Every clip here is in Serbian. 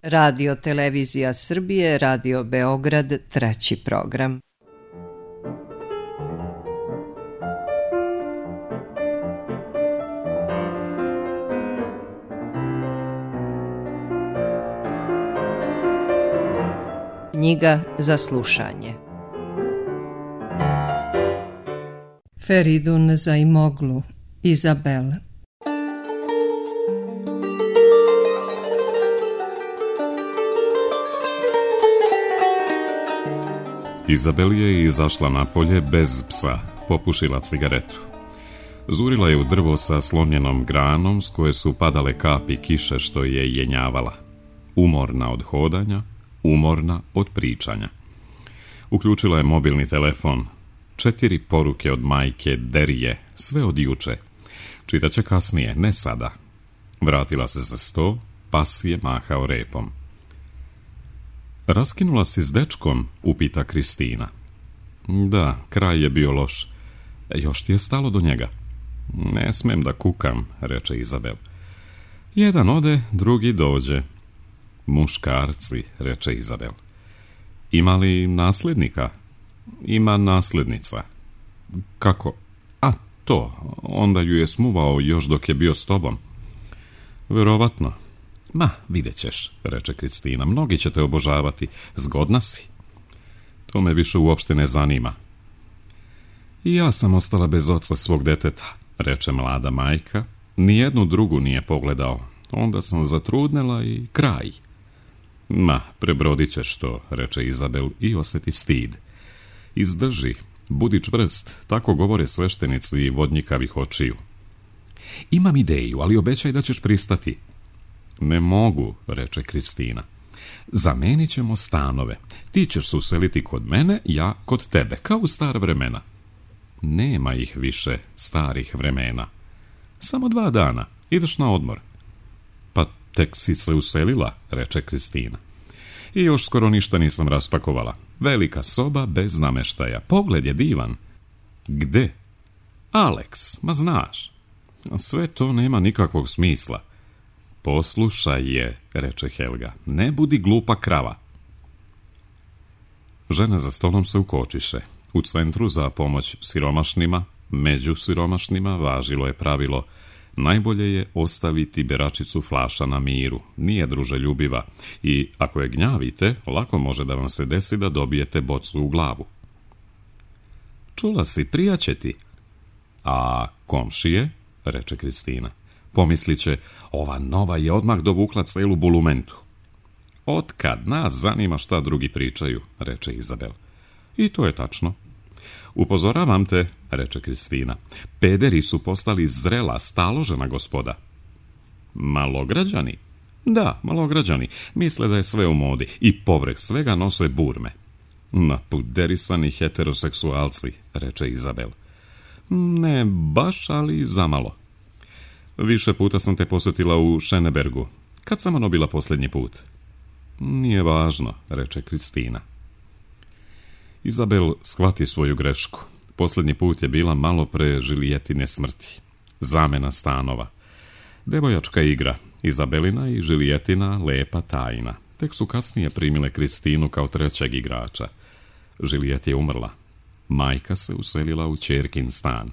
Radio Televizija Srbije, Radio Beograd, 3. program. Knjiga za slušanje. Feridun Zaimoglu, Izabel. Izabel je izašla napolje bez psa, popušila cigaretu. Zurila je u drvo sa slomljenom granom s koje su padale kapi kiše što je jenjavala. Umorna od hodanja, umorna od pričanja. Uključila je mobilni telefon. 4 poruke od majke Derije, sve od juče. Čitaće kasnije, ne sada. Vratila se za sto, pas je mahao repom. Raskinula si s dečkom, upita Kristina. Da, kraj je bio loš. Još ti je stalo do njega? Ne smem da kukam, reče Izabel. Jedan ode, drugi dođe. Muškarci, reče Izabel. Ima li nasljednika? Ima nasljednica. Kako? A, to, onda ju je smuvao još dok je bio s tobom. Verovatno. Ma, vidjet ćeš, reče Kristina, mnogi će te obožavati, zgodna si. To me više uopšte ne zanima. I ja sam ostala bez oca svog deteta, reče mlada majka, nijednu drugu nije pogledao, onda sam zatrudnela i kraj. Ma, prebrodit ćeš to, reče Izabel i osjeti stid. Izdrži, budi čvrst, tako govore sveštenici vodnjikavih očiju. Imam ideju, ali obećaj da ćeš pristati. Ne mogu, reče Kristina. Zamenit ćemo stanove. Ti ćeš se useliti kod mene, ja kod tebe, kao u stara vremena. Nema ih više, starih vremena. Samo 2 dana, ideš na odmor. Pa tek si se uselila, reče Kristina. I još skoro ništa nisam raspakovala. Velika soba bez nameštaja. Pogled je divan. Gde? Alex, ma znaš. Sve to nema nikakvog smisla. Poslušaj je, reče Helga, ne budi glupa krava. Žene za stolom se ukočiše. U centru za pomoć siromašnima, među siromašnima, važilo je pravilo: najbolje je ostaviti beračicu flaša na miru, nije druželjubiva i ako je gnjavite, lako može da vam se desi da dobijete bocu u glavu. Čula si, prijaće ti. A komšije, reče Kristina. Pomislit će, ova nova je odmah dovukla celu bulumentu. Otkad nas zanima šta drugi pričaju, reče Izabel. I to je tačno. Upozoravam te, reče Kristina, pederi su postali zrela, staložena gospoda. Malograđani? Da, malograđani. Misle da je sve u modi i povrh svega nose burme. Napuderisani heteroseksualci, reče Izabel. Ne baš, ali zamalo. Više puta sam te posjetila u Schönebergu. Kad sam ono bila posljednji put? Nije važno, reče Kristina. Izabel shvati svoju grešku. Posljednji put je bila malo pre Žilijetine smrti. Zamena stanova. Devojačka igra. Izabelina i Žilijetina lepa tajna. Tek su kasnije primile Kristinu kao 3. igrača. Žilijet je umrla. Majka se uselila u ćerkin stan.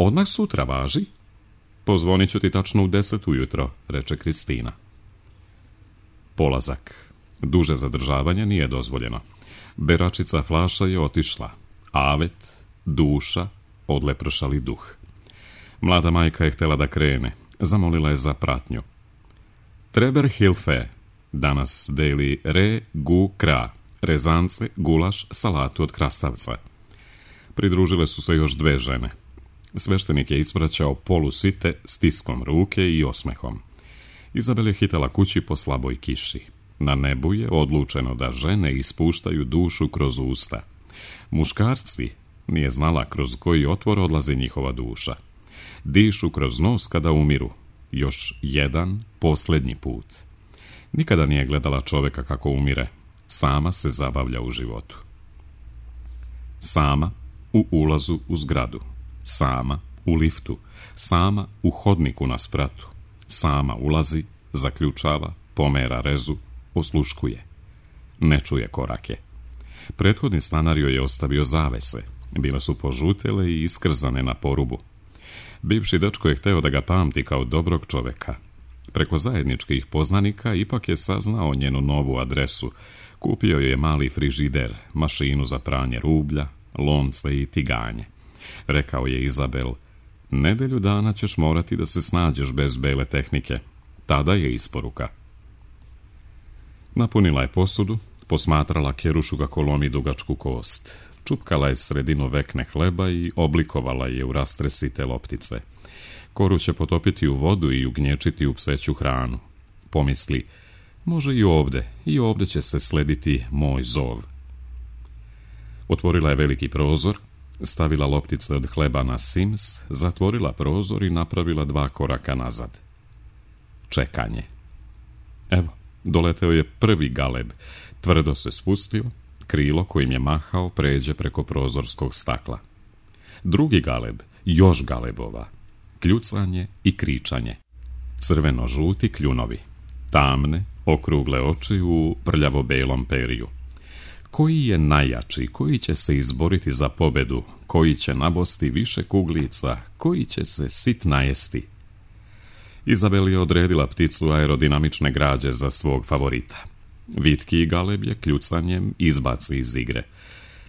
Odmah sutra važi? Pozvonit ću ti tačno u 10 ujutro, reče Kristina. Polazak. Duže zadržavanje nije dozvoljeno. Beračica flaša je otišla. Avet, duša, odlepršali duh. Mlada majka je htjela da krene. Zamolila je za pratnju. Treber Hilfe. Danas deli re, gu, kra. Rezance, gulaš, salatu od krastavca. Pridružile su se još 2 žene. Sveštenik je ispraćao polusite stiskom ruke i osmehom. Izabel je hitala kući po slaboj kiši. Na nebu je odlučeno da žene ispuštaju dušu kroz usta. Muškarci, nije znala kroz koji otvor odlazi njihova duša. Dišu kroz nos kada umiru. Još jedan, posljednji put. Nikada nije gledala čovjeka kako umire. Sama se zabavlja u životu. Sama u ulazu u zgradu. Sama u liftu. Sama u hodniku na spratu. Sama ulazi, zaključava, pomera rezu, osluškuje. Ne čuje korake. Prethodni stanar joj je ostavio zavese. Bile su požutele i iskrzane na porubu. Bivši dečko je hteo da ga pamti kao dobrog čoveka. Preko zajedničkih poznanika ipak je saznao njenu novu adresu. Kupio je mali frižider, mašinu za pranje rublja, lonce i tiganje. Rekao je Izabel, nedelju dana ćeš morati da se snađeš bez bele tehnike. Tada je isporuka. Napunila je posudu, posmatrala kerušu kako lomi dugačku kost. Čupkala je sredinu vekne hleba i oblikovala je u rastresite loptice. Koru će potopiti u vodu i ugnječiti u pseću hranu. Pomisli, može i ovde će se slediti moj zov. Otvorila je veliki prozor, stavila loptice od hleba na sims, zatvorila prozor i napravila 2 koraka nazad. Čekanje. Evo, doleteo je prvi galeb, tvrdo se spustio, krilo kojim je mahao pređe preko prozorskog stakla. Drugi galeb, još galebova, kljucanje i kričanje. Crveno-žuti kljunovi, tamne, okrugle oči u prljavo-belom periju. Koji je najjači, koji će se izboriti za pobedu, koji će nabosti više kuglica, koji će se sit najesti? Izabel je odredila pticu aerodinamične građe za svog favorita. Vitki i galeb je kljucanjem izbaci iz igre.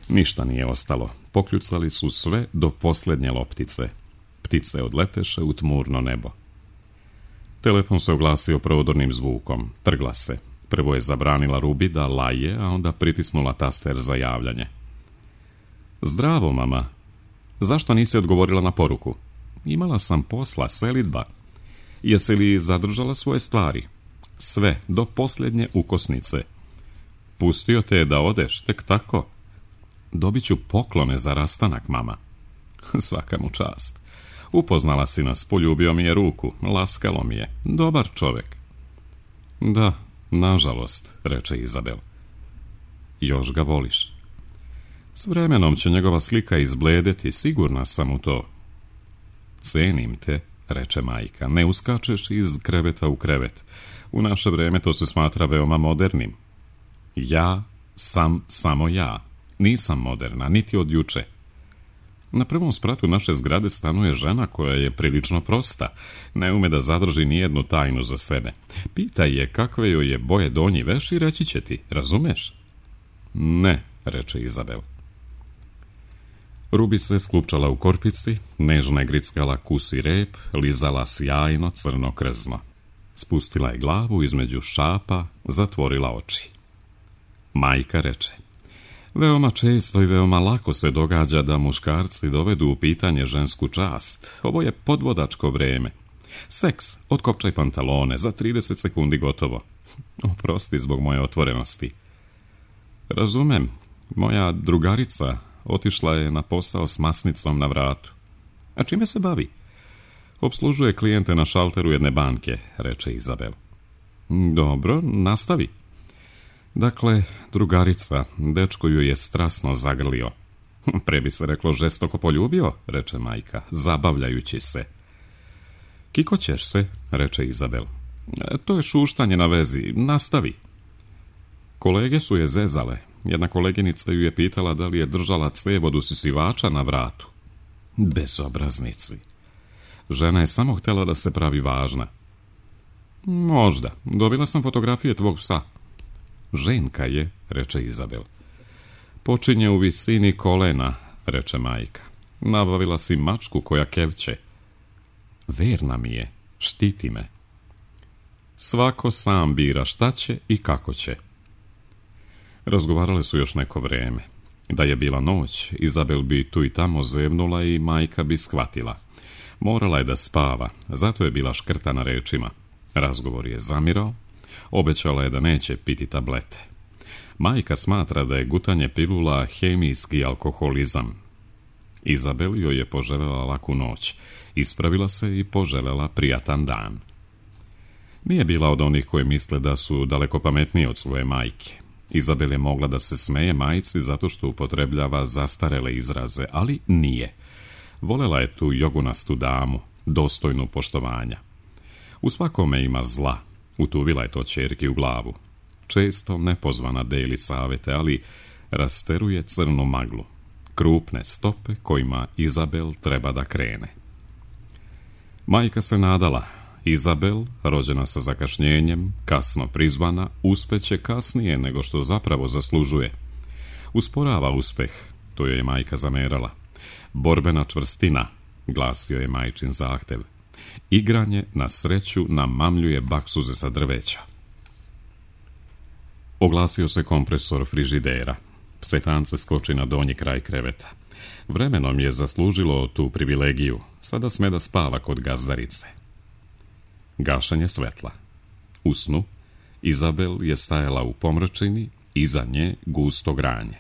Ništa nije ostalo. Pokljucali su sve do posljednje loptice. Ptice odleteše u tmurno nebo. Telefon se oglasio prodornim zvukom. Trgla se. Prvo je zabranila Rubi da laje, a onda pritisnula taster za javljanje. Zdravo, mama. Zašto nisi odgovorila na poruku? Imala sam posla, selidba. Jesi li zadržala svoje stvari? Sve, do posljednje ukosnice. Pustio te da odeš, tek tako? Dobit ću poklone za rastanak, mama. Svaka mu čast. Upoznala si nas, poljubio mi je ruku, laskalo mi je. Dobar čovek. Da, nažalost, reče Izabel. Još ga voliš. S vremenom će njegova slika izbledeti, sigurna sam u to. Cenim te, reče majka, ne uskačeš iz kreveta u krevet. U naše vreme to se smatra veoma modernim. Ja sam samo ja. Nisam moderna, niti od juče. Na prvom spratu naše zgrade stanuje žena koja je prilično prosta. Ne ume da zadrži nijednu tajnu za sebe. Pitaj je kakve joj je boje donji veš i reći će ti, razumeš? Ne, reče Izabel. Rubi se sklupčala u korpici, nežno je grickala kusi rep, lizala sjajno crno krzno. Spustila je glavu između šapa, zatvorila oči. Majka reče, veoma često i veoma lako se događa da muškarci dovedu u pitanje žensku čast. Ovo je podvodačko vreme. Seks, otkopčaj pantalone, za 30 sekundi gotovo. Oprosti zbog moje otvorenosti. Razumem, moja drugarica otišla je na posao s masnicom na vratu. A čime se bavi? Opslužuje klijente na šalteru jedne banke, reče Izabel. Dobro, nastavi. Dakle, drugarica, dečko ju je strasno zagrlio. Pre bi se reklo žestoko poljubio, reče majka, zabavljajući se. Kiko ćeš se, reče Izabel. To je šuštanje na vezi, nastavi. Kolege su je zezale. Jedna koleginica ju je pitala da li je držala cev od usisivača na vratu. Bezobraznici. Žena je samo htjela da se pravi važna. Možda, dobila sam fotografije tvog psa. Ženka je, reče Izabel. Počinje u visini kolena, reče majka. Nabavila si mačku koja kevće. Verna mi je, štiti me. Svako sam bira šta će i kako će. Razgovarale su još neko vreme. Da je bila noć, Izabel bi tu i tamo zevnula i majka bi shvatila. Morala je da spava, zato je bila škrta na rečima. Razgovor je zamirao, obećala je da neće piti tablete. Majka smatra da je gutanje pilula hemijski alkoholizam. Izabel joj je poželjela laku noć, ispravila se i poželjela prijatan dan. Nije bila od onih koji misle da su daleko pametniji od svoje majke. Izabel je mogla da se smeje majci zato što upotrebljava zastarele izraze, ali nije. Volela je tu jogunastu damu, dostojnu poštovanja. U svakome ima zla, Utuvila je to ćerki u glavu. Često nepozvana deli savete, ali rasteruje crnu maglu. Krupne stope kojima Izabel treba da krene. Majka se nadala. Izabel, rođena sa zakašnjenjem, kasno prizvana, uspeće kasnije nego što zapravo zaslužuje. Usporava uspeh, to joj je majka zamerala. Borbena čvrstina, glasio je majčin zahtev. Igranje na sreću namamljuje baksuze sa drveća. Oglasio se kompresor frižidera. Psetance skoči na donji kraj kreveta. Vremenom je zaslužilo tu privilegiju. Sada sme da spava kod gazdarice. Gašanje svetla. U snu, Izabel je stajala u pomračini, iza nje gusto granje.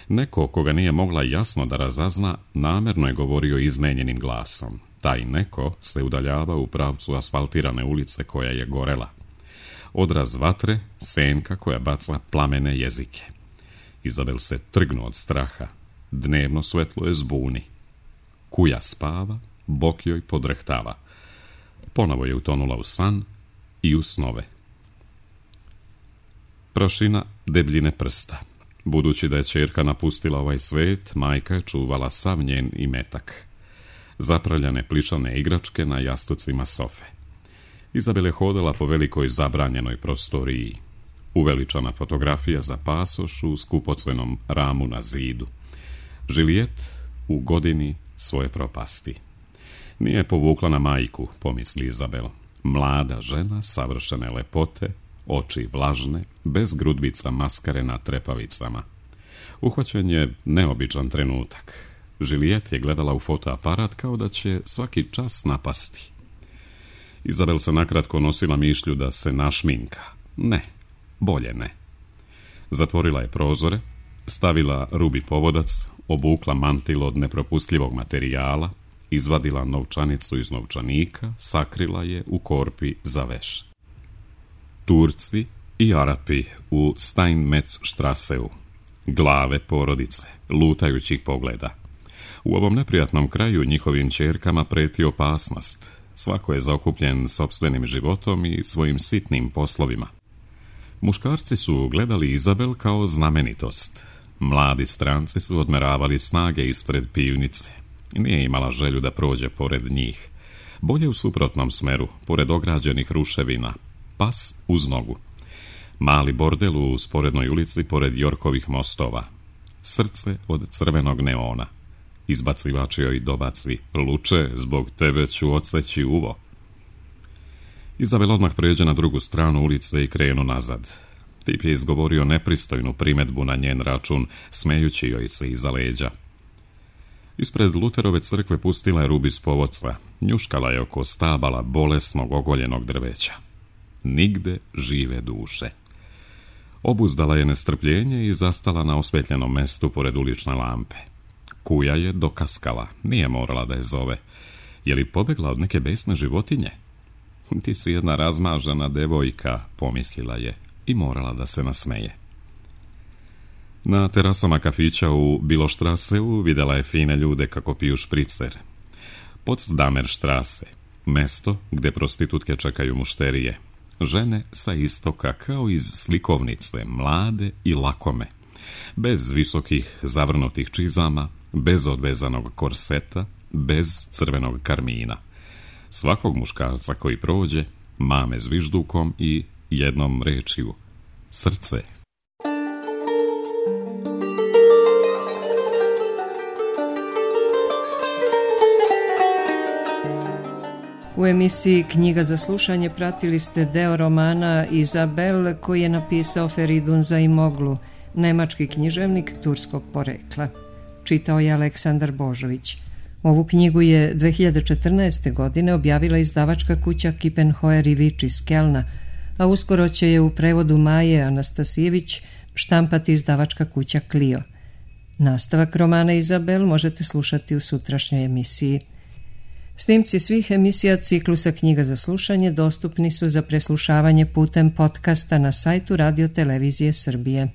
Neko koga nije mogla jasno da razazna, namerno je govorio izmenjenim glasom. Taj neko se udaljava u pravcu asfaltirane ulice koja je gorela. Odraz vatre, senka koja baca plamene jezike. Izabel se trgnu od straha. Dnevno svetlo je zbuni. Kuja spava, bok joj podrhtava. Ponovo je utonula u san i u snove. Prašina debljine prsta. Budući da je ćerka napustila ovaj svet, majka je čuvala sav njen imetak. Zapravljane plišane igračke na jastucima sofe. Izabel je hodala po velikoj zabranjenoj prostoriji. Uveličana fotografija za pasoš u skupocvenom ramu na zidu. Žilijet u godini svoje propasti. Nije povukla na majku, pomisli Izabel. Mlada žena, savršene lepote, oči vlažne, bez grudbica maskare na trepavicama. Uhvaćen je neobičan trenutak. Žilijet je gledala u fotoaparat kao da će svaki čas napasti. Izabel se nakratko nosila mišlju da se našminka. Ne, bolje ne. Zatvorila je prozore, stavila rubi povodac, obukla mantil od nepropustljivog materijala, izvadila novčanicu iz novčanika, sakrila je u korpi za veš. Turci i Arapi u Steinmetzstrasseu. Glave porodice, lutajućih pogleda. U ovom neprijatnom kraju njihovim ćerkama preti opasnost. Svako je zaokupljen sopstvenim životom i svojim sitnim poslovima. Muškarci su gledali Izabel kao znamenitost. Mladi stranci su odmeravali snage ispred pivnice. Nije imala želju da prođe pored njih. Bolje u suprotnom smeru, pored ograđenih ruševina. Pas uz nogu. Mali bordel u sporednoj ulici pored Jorkovih mostova. Srce od crvenog neona. Izbacivač joj dobaci: luče, zbog tebe ću odseći uvo. Izabel odmah pređe na drugu stranu ulice i krenu nazad. Tip je izgovorio nepristojnu primedbu na njen račun, smejući joj se iza leđa. Ispred Luterove crkve pustila je rubi s povodca. Njuškala je oko stabala bolesnog ogoljenog drveća. Nigde žive duše. Obuzdala je nestrpljenje i zastala na osvetljenom mestu pored ulične lampe. Kuja je dokaskala, nije morala da je zove. Je li pobegla od neke besne životinje? Ti si jedna razmažena devojka, pomislila je i morala da se nasmeje. Na terasama kafića u Biloštraseu videla je fine ljude kako piju špricer. Potsdamerstrasse, mesto gde prostitutke čekaju mušterije. Žene sa istoka kao iz slikovnice, mlade i lakome. Bez visokih zavrnutih čizama, bez odvezanog korseta, bez crvenog karmina. Svakog muškarca koji prođe, mame zviždukom i jednom rečju: srce. U emisiji Knjiga za slušanje pratili ste deo romana Izabel koji je napisao Feridun Zaimoglu, nemački književnik turskog porekla. Čitao je Aleksandar Božović. Ovu knjigu je 2014. godine objavila izdavačka kuća Kippenhoer i Vič iz Kelna, a uskoro će je u prevodu Maje Anastasijević štampati izdavačka kuća Clio. Nastavak romana Izabel možete slušati u sutrašnjoj emisiji. Snimci svih emisija ciklusa Knjiga za slušanje dostupni su za preslušavanje putem podcasta na sajtu Radio Televizije Srbije.